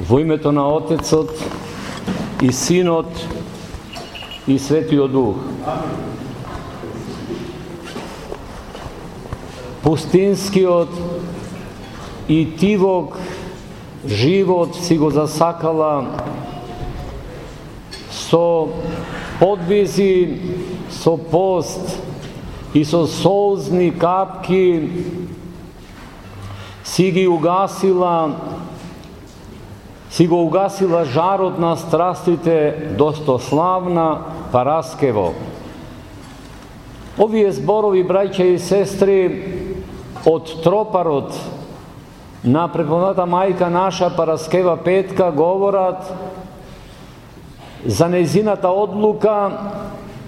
Во името на Отецот и Синот и Светиот Дух. Пустинскиот и тивок живот си го засакала со подвизи, со пост и со солзни капки си го угасила жарот на страстите достославна Параскево. Овие зборови, браќа и сестри, од тропарот на преподобната мајка наша Параскева Петка говорат за нејзината одлука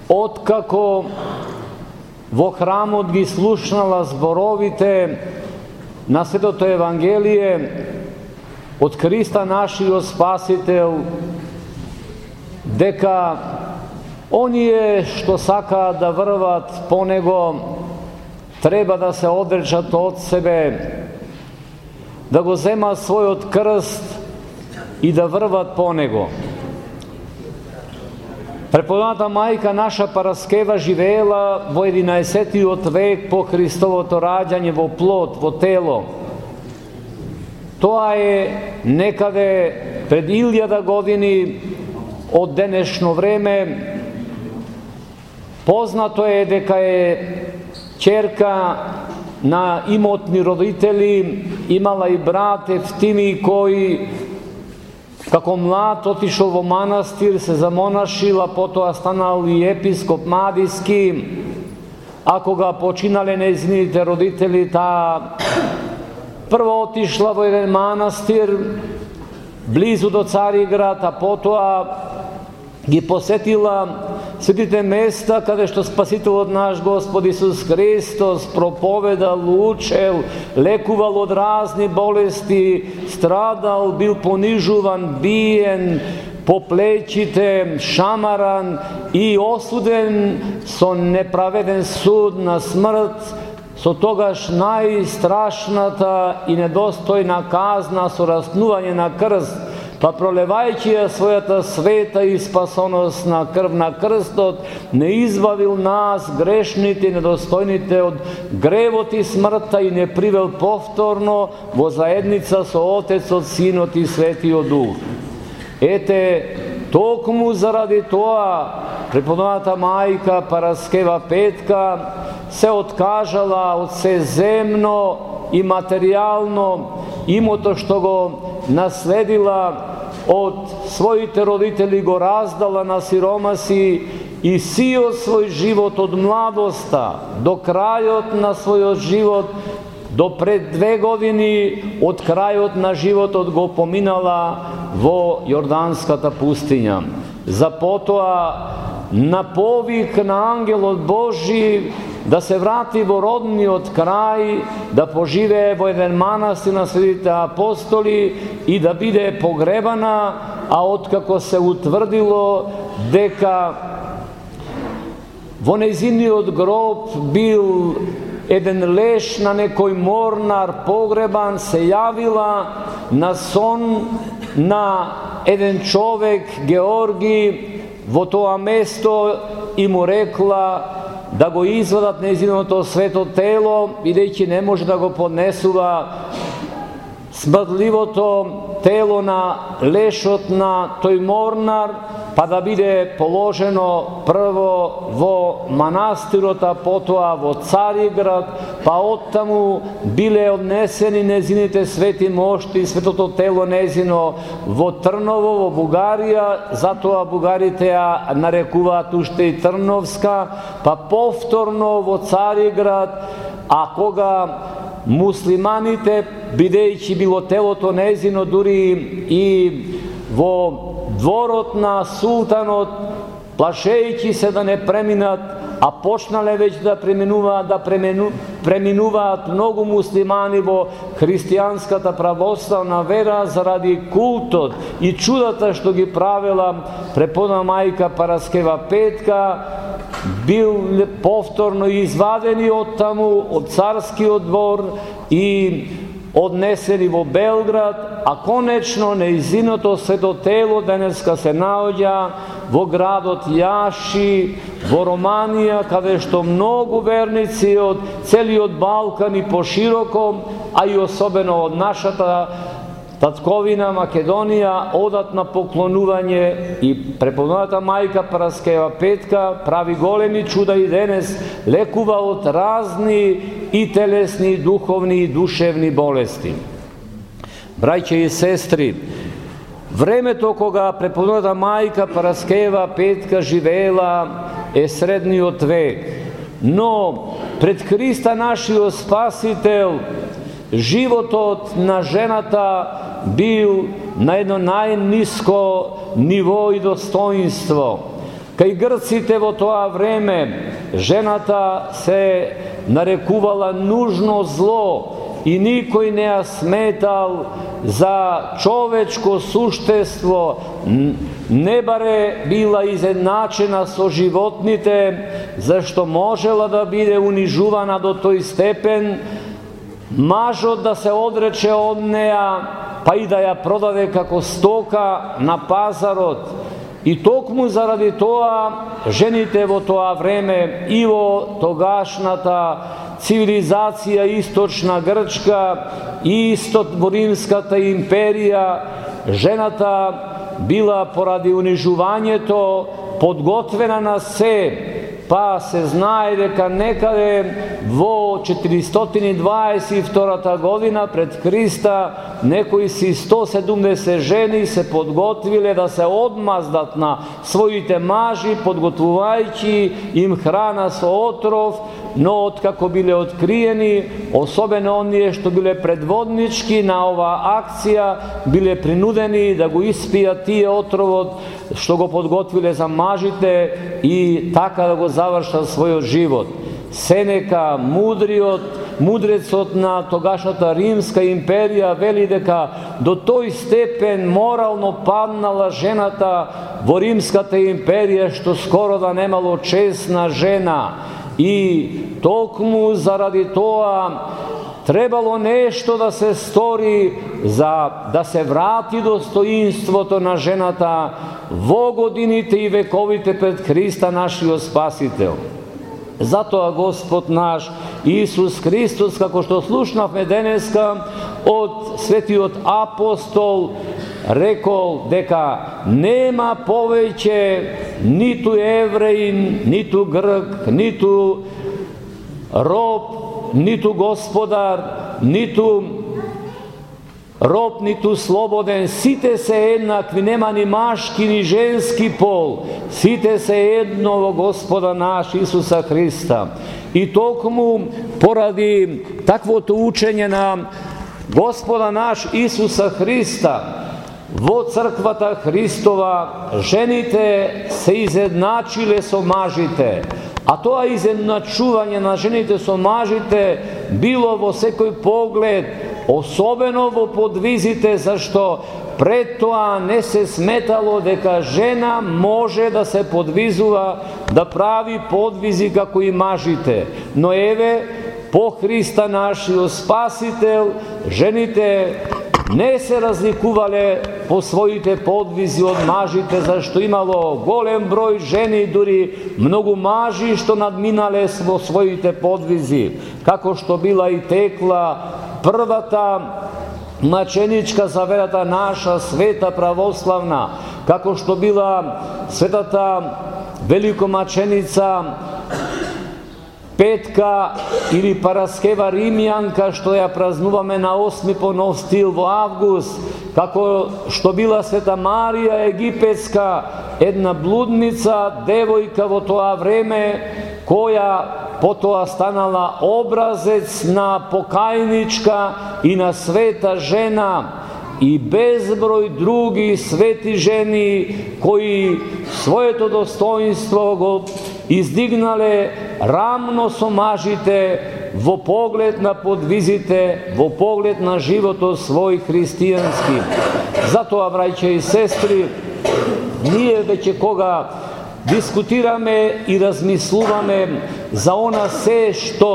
откако во храмот ги слушнала зборовите на Светото Евангелие од Христа нашиот Спасител, дека оние што сакаат да врват по Него треба да се одречат од себе, да го земат својот крст и да врват по Него. Преподобната мајка наша Параскева живеела во 11 век по Христовото раѓање во плод, во тело. Тоа е некаде пред 1000 години од денешно време. Познато е дека е ќерка на имотни родители, имала и брат Евтимий кој како млад отишол во манастир, се замонашил, а потоа станал и епископ Мадиски, а кога починале нејзините родители, таа прво отишла во еден манастир близу до Цариград, а потоа ги посетила светите места каде што Спасителот наш Господ Исус Христос проповедал, учел, лекувал од разни болести, страдал, бил понижуван, биен по плечите, шамаран и осуден со неправеден суд на смрт, со тогаш најстрашната и недостојна казна со распнување на крст, па пролевајќи ја својата света и спасоносна крв на крстот, не избавил нас, грешните и недостојните, од гревот и смртта и не привел повторно во заедница со Отецот, Синот и Светиот Дух. Ете, токму заради тоа, преподобната мајка Параскева Петка се откажала од се земно и материјално, имото што го наследила од своите родители го раздала на сиромаси и сиот свој живот од младоста до крајот на својот живот, до пред 2 години од крајот на животот го поминала во Јорданската пустиња. За потоа на повик на ангелот Божи да се врати во родниот крај, да поживее во еден манастир на светите апостоли и да биде погребана, а откако се утврдило дека во нејзиниот гроб бил еден леш на некој морнар погребан, се јавила на сон на еден човек, Георги, во тоа место и му рекла да го извадат нејзиното свето тело, бидејќи не може да го поднесува смрдливото тело на лешот на тој морнар, па да биде положено прво во манастирот, а потоа во Цариград, па оттаму биле однесени нејзините свети мошти, светото тело нејзино во Трново, во Бугарија, затоа бугарите ја нарекуваат уште и Трновска, па повторно во Цариград, а кога муслиманите, бидејќи било телото нејзино дури и во дворот на султанот, плашејќи се да не преминат, а почнале веќе да преминуваат многу муслимани во христијанската православна вера заради култот и чудата што ги правела преподобна мајка Параскева Петка, бил повторно извадени од таму, од царскиот двор и однесени во Белград, а конечно нејзиното свето тело денеска се наоѓа во градот Јаши, во Романија, каде што многу верници од целиот Балкан и пошироко, а и особено од нашата татковина Македонија, одат на поклонување и преподобната мајка Параскева Петка прави големи чуда и денес лекува од разни и телесни, и духовни и душевни болести. Браќа и сестри, времето кога преподобната мајка Параскева Петка живеела е средниот век, но пред Христа нашиот Спасител животот на жената бил на едно најниско ниво и достоинство. Кај грците во тоа време жената се нарекувала нужно зло и никој не ја сметал за човечко суштество, не баре била изедначена со животните, зашто можела да биде унижувана до тој степен, мажот да се одрече од неа, па и да ја продаде како стока на пазарот. И токму заради тоа, жените во тоа време и во тогашната цивилизација источна Грчка и во Римската империја, жената била поради унижувањето подготвена на се, па се знае дека некаде во 422 година пред Христа некои си 170 жени се подготвиле да се одмаздат на своите мажи, подготвувајќи им храна со отров, но откако биле откриени, особено оние што биле предводнички на оваа акција, биле принудени да го испијат тие отровот што го подготвиле за мажите и така да го завршат својот живот. Сенека, мудрецот на тогашната Римска империја, вели дека до тој степен морално паднала жената во Римската империја, што скоро да немало честна жена. И токму заради тоа требало нешто да се стори за да се врати достоинството на жената во годините и вековите пред Христа нашиот Спасител. Затоа Господ наш Исус Христос, како што слушнавме денеска од светиот апостол, рекол дека нема повеќе ниту евреин, ниту грк, ниту роб, ниту господар, ниту роб, ниту слободен, сите се еднакви, нема ни машки ни женски пол, сите се едно во Господа наш Исуса Христа. И токму поради таквото учење на Господа наш Исуса Христа во црквата Христова, жените се изедначиле со мажите. А тоа изедначување на жените со мажите било во секој поглед, особено во подвизите, зашто пред тоа не се сметало дека жена може да се подвизува, да прави подвизи како и мажите. Но еве, по Христа нашиот Спасител, жените не се разликувале по своите подвизи од мажите, зашто имало голем број жени, дури многу мажи што надминале во своите подвизи, како што била и текла првата маченичка за верата наша, света православна, како што била светата великомаченица Петка или Параскева Римјанка, што ја празнуваме на 8 по нов стил во август, како што била света Марија Египетска, една блудница, девојка во тоа време, која потоа станала образец на покајничка и на света жена, и безброј други свети жени кои своето достоинство го издигнале рамно со мажите во поглед на подвизите, во поглед на животот свој христијански. Затоа, браќа и сестри, ние веќе кога дискутираме и размислуваме за она се што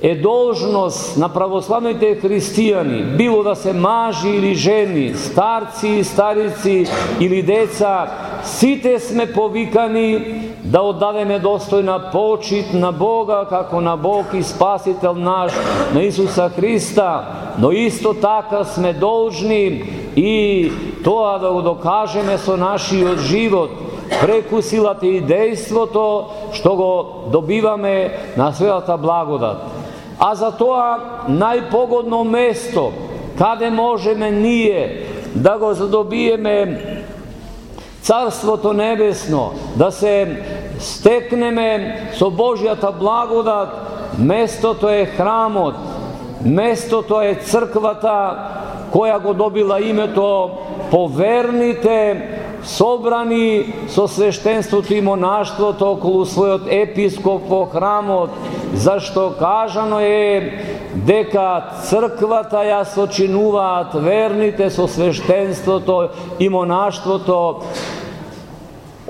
е должност на православните христијани, било да се мажи или жени, старци, старици или деца, сите сме повикани да оддадеме достојна почит на Бога како на Бог и Спасител наш, на Исуса Христа, но исто така сме должни и тоа да го докажеме со нашиот живот, преку силата и дејството што го добиваме на светата благодат. А за тоа најпогодно место каде можеме ние да го задобиеме Царството Небесно, да се стекнеме со Божјата благодат, местото е храмот, местото е црквата која го добила името по верните собрани со свештенството и монаштвото околу својот епископ во храмот, зашто кажано е дека црквата ја сочинуваат верните со свештенството и монаштвото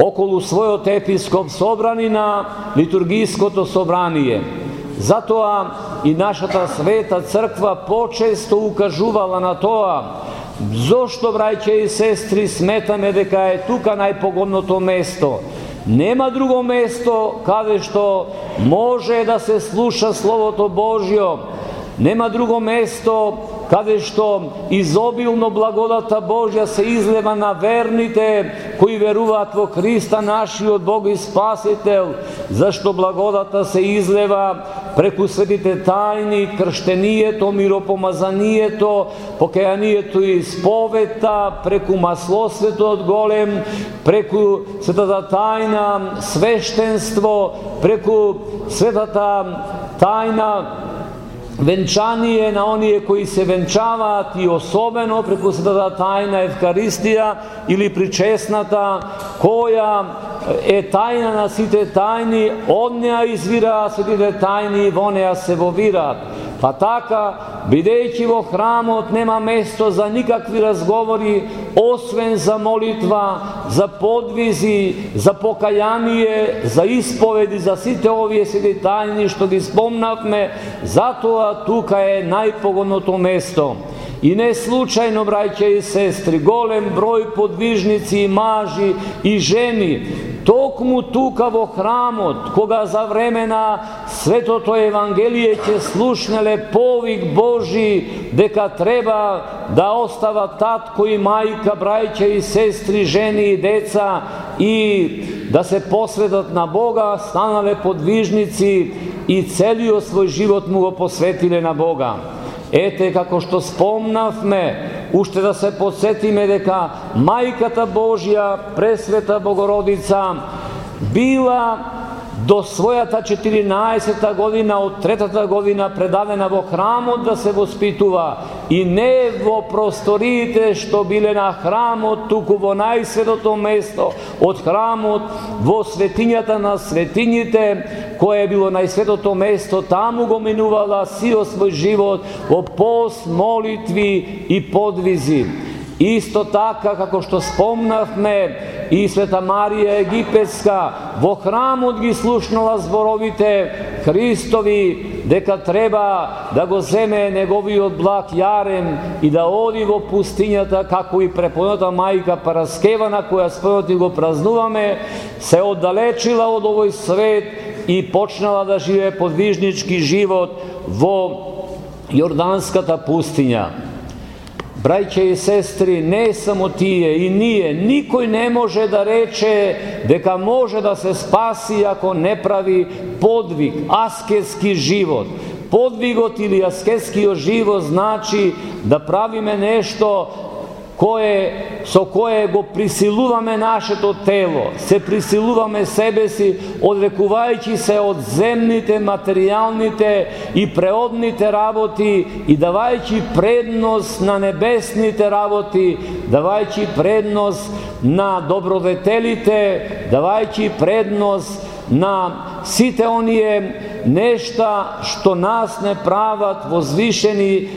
околу својот епископ собрани на литургиското собрание. Затоа и нашата света црква почесто укажувала на тоа. Зошто, браќа и сестри, сметаме дека е тука најпогодното место? Нема друго место каде што може да се слуша Словото Божјо. Нема друго место каде што изобилно благодата Божја се излева на верните кои веруваат во Христа нашиот Бог и Спасител, зашто благодата се излева преку светите тајни, крштенијето, миропомазанието, покајанието и исповета, преку маслосветот голем, преку светата тајна, свештенство, преку светата тајна, венчание на оние кои се венчаваат и особено преку светата тајна Евхаристија или причесната, која е тајна на сите тајни, од неа извираат светите тајни и во неа се вовираат. Па така, бидејќи во храмот нема место за никакви разговори, освен за молитва, за подвизи, за покаяние, за исповеди, за сите овие свети тајни што ги спомнавме, затоа тука е најпогодното место. И не случајно, браќа и сестри, голем број подвижници и мажи и жени, токму тука во храмот, кога за време на Светото Евангелие ќе слушнеле повик Божи дека треба да остават татко и мајка, браќа и сестри, жени и деца и да се посветат на Бога, станале подвижници и целиот свој живот му го посветиле на Бога. Ете, како што спомнавме, уште да се подсетиме дека Мајката Божја, Пресвета Богородица, била до својата 14-та година од третата година предадена во храмот да се воспитува и не во просториите што биле на храмот, туку во најсветото место од храмот, во светињата на светињите, кое било најсветото место, таму го минувала сиот свој живот во пост, молитви и подвизи. Исто така, како што спомнавме, и Света Марија Египетска во храмот ги слушнала зборовите Христови дека треба да го земе неговиот благ јарем и да оди во пустињата, како и препоната мајка Параскевана, која спојот го празнуваме, се оддалечила од овој свет и почнала да живее подвижнички живот во Јорданската пустиња. Браќа и сестри, не само тие и ние, никој не може да рече дека може да се спаси ако не прави подвиг, аскетски живот. Подвигот или аскетскиот живот значи да правиме нешто со кое го присилуваме нашето тело, се присилуваме себе си, одрекувајќи се од земните, материјалните и преодните работи и давајќи предност на небесните работи, давајќи предност на добродетелите, давајќи предност на сите оние нешта што нас не прават возвишени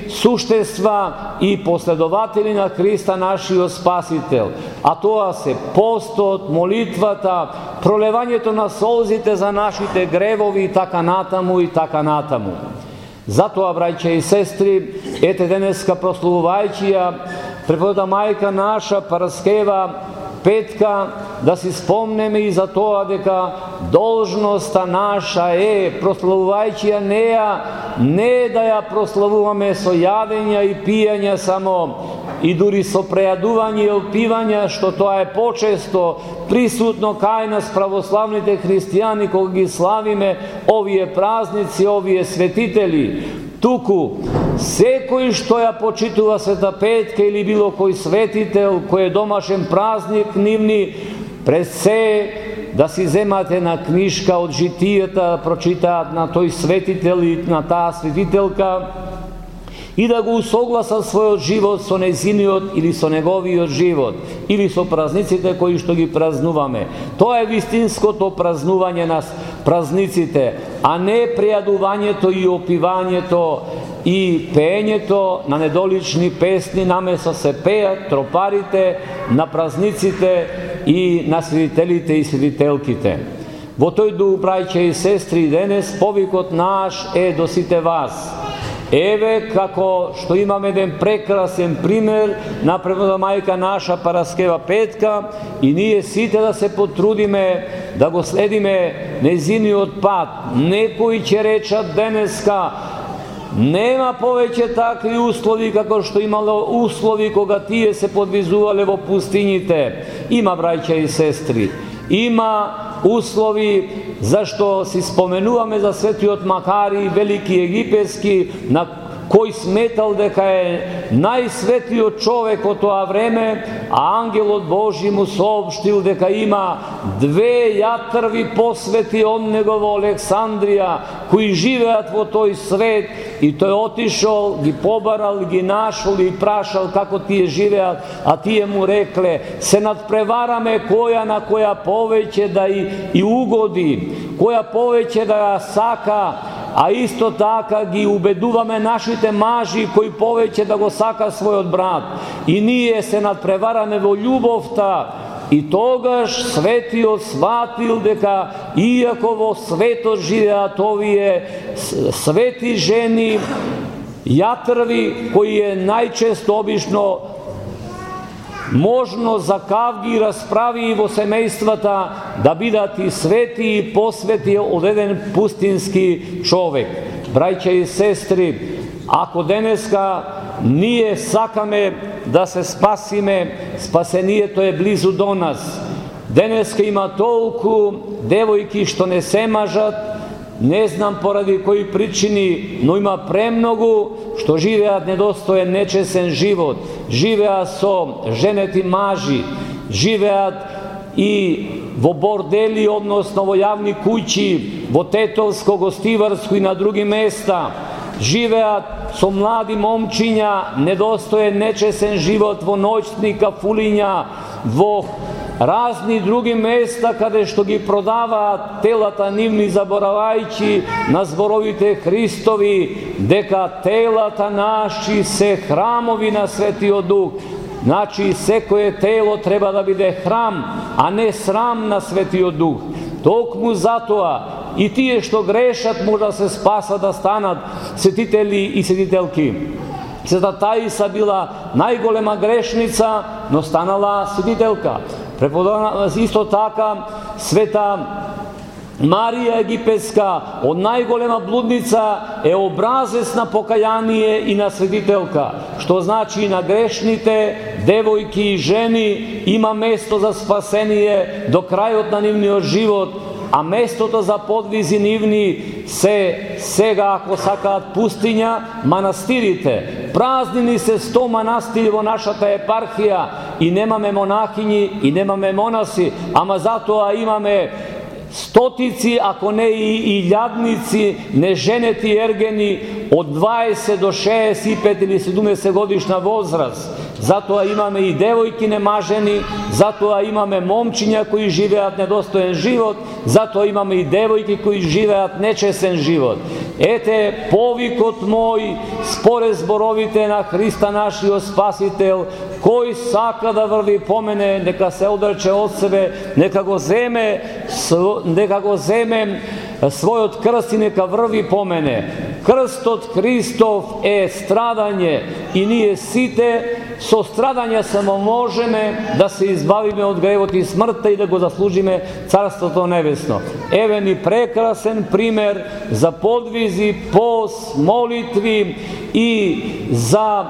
суштества и последователи на Христа нашиот Спасител. А тоа се постот, молитвата, пролевањето на солзите за нашите гревови и така натаму и така натаму. Затоа, браќа и сестри, ете денеска прославувајќи ја преподобната мајка наша Параскева Петка, да си спомнеме и за тоа дека должноста наша е, прославувајќи ја неа, не да ја прославуваме со јадења и пијања само, и дури со прејадување и опивања, што тоа е почесто присутно кај нас православните христијани кога ги славиме овие празници, овие светители. Туку, секој што ја почитува Света Петка или било кој светител, кој е домашен празник нивни, пред се да си земате на книжка од житијата, прочитаат на тој светител и на таа светителка, и да го усогласат својот живот со незиниот или со неговиот живот, или со празниците кои што ги празнуваме. Тоа е вистинското празнување на празниците, а не прејадувањето и опивањето и пеењето на недолични песни, наместо се пеат тропарите на празниците и на светителите и светителките. Во тој дух, браќа и сестри, денес повикот наш е до сите вас. Еве како што имаме еден прекрасен пример на преподобната мајка наша Параскева Петка, и ние сите да се потрудиме да го следиме незиниот пат. Некои ќе речат денеска: нема повеќе такви услови како што имало услови кога тие се подвизувале во пустините. Има, браќа и сестри, има услови, зашто си споменуваме за светиот Макари, велики египетски, на кој сметал дека е најсветиот човек од тоа време, а ангелот Божи му соопштил дека има 2 јатрви посвети од него во Александрија, кои живеат во тој свет, и тој отишол, ги побарал, ги нашол и прашал како тие живеат, а тие му рекле: се надпревараме која на која повеќе да и угоди, која повеќе да ја сака, а исто така ги убедуваме нашите мажи кои повеќе да го сака својот брат. И ние се надпревараме во љубовта. И тогаш светиот сватил дека иако во светот живеат овие свети жени, јатрви, кои е најчесто обично можно за кавги расправи во семејствата, да бидат и свети и посвети од еден пустински човек. Браќа и сестри, ако денеска ние сакаме да се спасиме, спасението е близу до нас. Денеска има толку девојки што не се мажат, не знам поради кои причини, но има премногу што живеат недостоен, нечесен живот, живеат со женети мажи, живеат и во бордели, односно во јавни куќи, во тетовско, гостиварско и на други места, живеат со млади момчиња, недостоен, нечесен живот во ноќни кафулиња, во разни други места каде што ги продаваат телата нивни, заборавајќи на зборовите Христови дека телата наши се храмови на Светиот Дух. Значи, секое тело треба да биде храм, а не срам на Светиот Дух. Токму затоа и тие што грешат може да се спасат, да станат светители и светителки. Света Таиса била најголема грешница, но станала светителка. Исто така света Марија Египетска, од најголема блудница, е образец на покаяние и на светителка, што значи на грешните девојки и жени има место за спасение до крајот на нивниот живот, а местото за подвизи нивни се сега, ако сакаат, пустиња, манастирите. Празнини се 100 манастири во нашата епархија и немаме монахињи и немаме монаси, ама затоа имаме стотици, ако не и илјадници неженети ергени од 20 до 65 или 70 годишна возраст. Затоа имаме и девојки немажени, затоа имаме момчиња кои живеат недостоен живот, затоа имаме и девојки кои живеат нечесен живот. Ете повикот мој според зборовите на Христа нашиот Спасител, кој сака да врви по мене, нека се одрече од себе, нека го земе својот крст и нека врви по мене. Крстот Христов е страдање и ние сите со страдање само можеме да се избавиме од гревот и смртта и да го заслужиме Царството Небесно. Еве ни прекрасен пример за подвизи, пост, молитви и за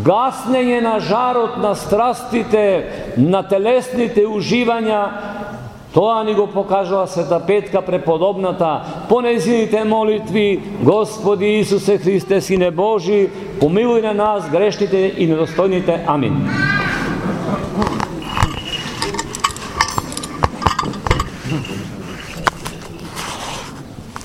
гаснење на жарот на страстите, на телесните уживања. Тоа ни го покажува Света Петка преподобната по нејзините молитви: Господи Исусе Христе, Сине Божи, помилуј на нас грешните и недостојните. Амин.